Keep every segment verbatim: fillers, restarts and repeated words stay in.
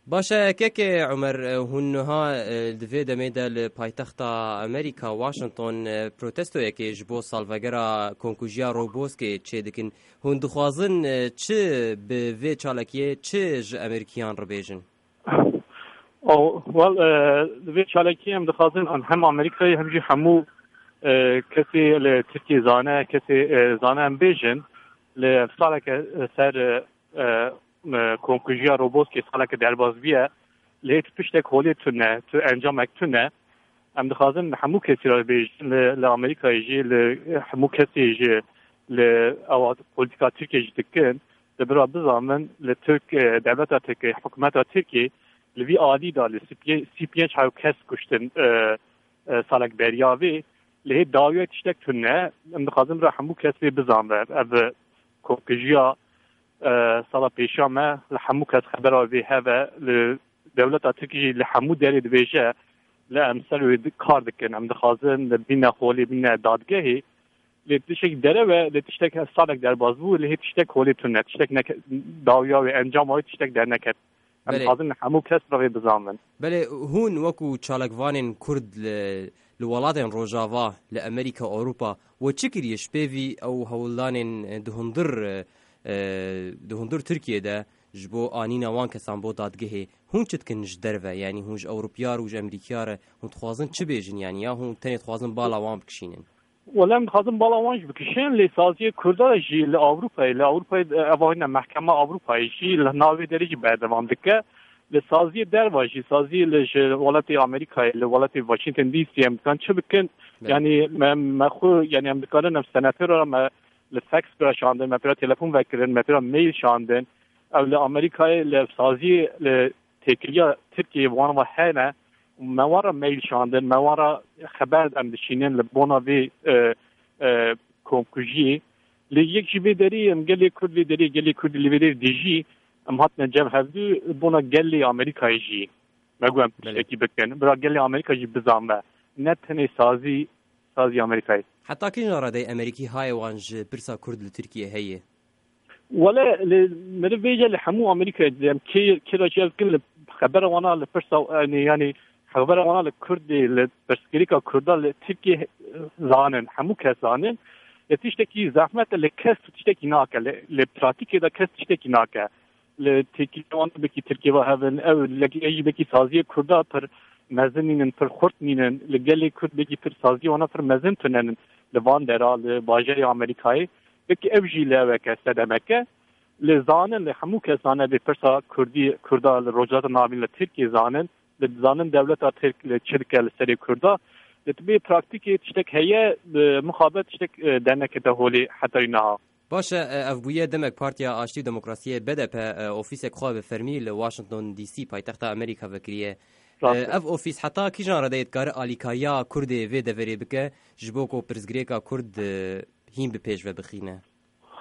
Baş e, kekê Umer, e, hûn niha, e, di vê demê de li paytexta Amerîka, Washington, e, protestoyekê ji bo salvegera komkujiya Roboskê çêdikin. Hûn dixwazin, e, çi bi vê çalakiyê, çi ji Amerîkiyan re bêjin? Oh, well, e, di vê çalakiyê em dixwazin an hem Amerîkayê hem jî hemû, e, kesê li Tirkiyê zane, kesê, e, zane em bêjin, li saleke ser, e, e, e, komkujiya Roboskê saleke derbas bûye, lê tu tiştek holê tune, tu encamek tune. Em dixwazin li hemû kesî re bêjin, li, li Amerîkayê jî, li hemû kesê jî, li ewa polîtîka Tirkiyê jî dikin, li bira bizanbin, li Tirk, e, dewleta Tirkiyê, hikûmeta Tirkiyê li vî alî de li sî pênc, sî pênc hew kes kuştin, e, e, salek beriya vê. Lê hê dawiya tiştek tune, em dixwazin bira hemû kes vê bizanbe. Ev komkujiya, e, sala pêşiya me li hemû kes xebera vê heve, li dewleta Tirkî jî li hemû derê dibêje, li em ser wê di-, kar dikin. Em dixwazin li bîne holê, bîne dadgehê. Lê tiştek derew e, lê tiştek salek derbas bû, lê hê tiştek holê tune. Tiştek neke-, dawiya wê, encama wê tiştek derneket. Em Belê. dixwazin hemû kes bi vê bizanbin. Belê, hûn wekû çalakvanên Kurd li, li welatên Rojava, li Amerîka, Ewropa, we çi kiriye ji pêvî ew hewldanên, e, di hundir, e, e, di hundir Tirkiyê de ji bo anîna wan kesan bo dadgehê? Hûn çi dikin ji derve? Yanî hûn ji Ewropiyar û ji Amerîkiya re hûn dixwazin çi bêjin? Yanî ya hûn tenê dixwazin bala wan bikişînin? Wele em dixwazin bala wan jî bikişin, lê saziyê Kurda jî li Ewropayê, li Ewropayê, e, eva hîne mehkema Ewropayê jî li navê derê jî berdewam dike. Li saziyê derva jî, saziyê li ji welatê Amerîkayê, li welatê Washington D C em dikan çi bikin? Belê. Yanî me, me xwe, yanî em dikarin em senatora me li fax pira şandin, me pira telefon vekirin, me pira mail şandin. Ew li Amerîkayê li saziyê, li têkiliya Tirkiyê wan ve hene. Me wan re mail şandin, me wan re xeber em dişînin li bona vê, e, e, komkujiyê. Lê yek ji vê derê em gelê Kurd vê derê, gelê Kurd li vê derê dijî, em hatine cem hevdû bona gelê Amerîkayê jî. Me got em Belê. tiştekî bikin. Bira gelê Amerîka jî bizanbe. Ne tenê sazî, sazî Amerîkayê. Heta kîjan redeyê Amerîkî hayê wan ji pirsa Kurd li Tirkiyê heye? Wele, li, meriv vêce li hemû Amerîkayê, em kê, kê re jî ev dikin, li xebera wana li pirsa, yanî, yanî xebera wana li Kurdê, li pirsgirêka Kurda li Tirkiyê, eh, zanin, hemû kes zanin. Li tiştekî zehmet e, li kes tu tiştekî nake, li, li pratîkê de kes tiştekî nake. Li têkiliya wan bekî Tirkiyê ve hevin, ew li, ê jî bekî saziyê Kurda pir mezin nînin, pir xurt nînin. Li gelê Kurd bekî pir saziyê wana pir mezin tunenin. Li van dera, li bajarê Amerîkayê. Wekî ev jî li eweke sedemeke. Li zanin, li hemû kes zane vê pirsa Kurdî, Kurda li Rojhilata Navîn li Tirkiyê zanin. Li zanin dewleta Tirk li çi dike li serê Kurda. Li tibê praktîkê tiştek heye, bi mixabet tiştek, e, dernekete holê heta wî niha. Baş e, e, ev bûye demek Partiya Aştî û Demokrasiyê B D P, e, ofîsek xwe bi fermî li Washington D C paytexta Amerîka vekiriye. Rast e. E, ev ofîs heta kîjan redeyê dikare alîkariya Kurdê vê deverê bike ji bo ku pirsgirêka Kurd, e, hîn bi pêş ve bixîne?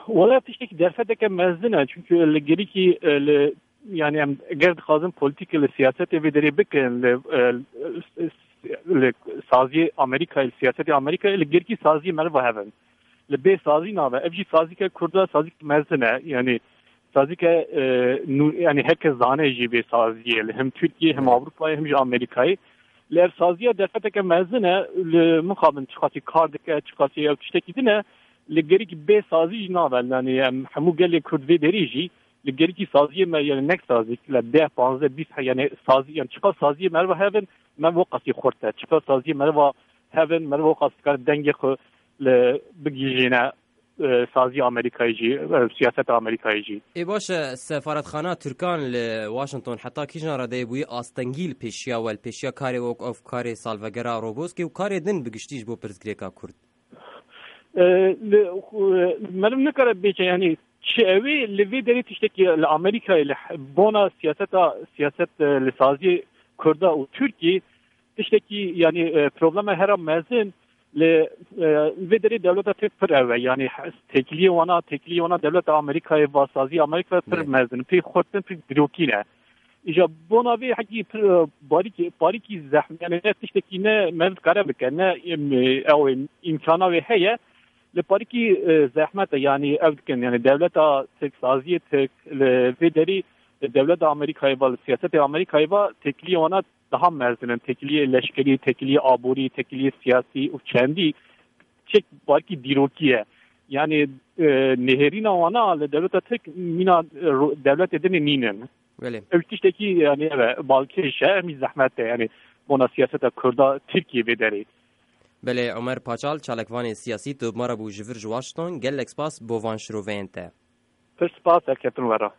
Wela tiştekî derfeteke mezin e, çunku li gerîkî, e, li, yanî em eger dixwazin polîtîkê li siyasetê vê derê bikin, li, e, li saziyê Amerîkayê, li siyasetê Amerîkayê, li gerîkî saziyê meriva hevin. Li bê sazî nabe. Ev jî sazîke Kurda, sazîke mezin e. Yanî sazîke, e, nû, yanî herkes zane jî vê saziyê. Li hem Tirkiyê, hem Ewropayê, hem jî Amerîkayê. Li ev saziya derfeteke mezin e, li mixabin çiqasî kar dike, çiqasî ew tiştekî din e, li gerîkî bê sazî jî nabe. Yanî em hemû gelê Kurd vê derî jî li gerîkî saziyê me, yanî nek sazî, li deh, panzdeh, bîst he-, yanî sazî, yanî çiqas saziyê meriva hevin, me wexasî xurt e. Çiqas saziyê meriva hevin, meriva wexas dikare dengê xwe li bigihîjîne, e, sazî Amerîkayê jî, e, siyaseta Amerîkayê jî. Ê baş e, sefaretxana Tirkan li Washington heta kîjan redeyê bûye astengî li pêşiya we, li pêşiya karê wek ev karê salvegera Roboskê û karê din bi giştî ji bo pirsgirêka Kurd? E, li, e, meriv nikare bêje, yanî çi ew ê, li vê derê tiştekî li Amerîkayê li he-, bona siyaseta, siyaset, e, li saziyê Kurda û Tirkiyê tiştekî, yanî, e, problema hera mezin li, e, vê derê dewleta Tirk pir ew e. Yanî he-, têkiliyê wana, têkiliyê wana dewleta Amerîkayê va sazî Amerîka pir Belê. mezin, pir xurt in, pir dirokî ne. Îja bona vê hekî pir, e, barîkî, barîkî zehm-, yanî ne tiştekî ne meriv dikare bike, ne, em, e, ew ê îmkana wê heye. Li parîkî, e, zehmet e, yanî ev dikin, yanî dewleta Tirk, saziyê Tirk li vê derî Li dewleta Amerîkayê ve, li siyasetê Amerîkayê ve têkiliyê wana daha mezin in. Têkiliyê leşkerî, têkiliyê aborî, têkiliyê siyasî û çendî çek balkî dîrokî ye. Yani e, nêhêrîna wana li dewleta Tirk mîna e, ro- dewletê dinê nînin. Belê. Ew tiştekî yani ev e, balkêş e, em jî zehmet e yani bona siyaseta Kurda Tirkiye vê derê. Belê Omer Paçal, çalakvanê siyasî, tu bi me re bû ji vir ji Washington. Gelek spas bo van şiroveyên te. Pir spas, serkeftin we re.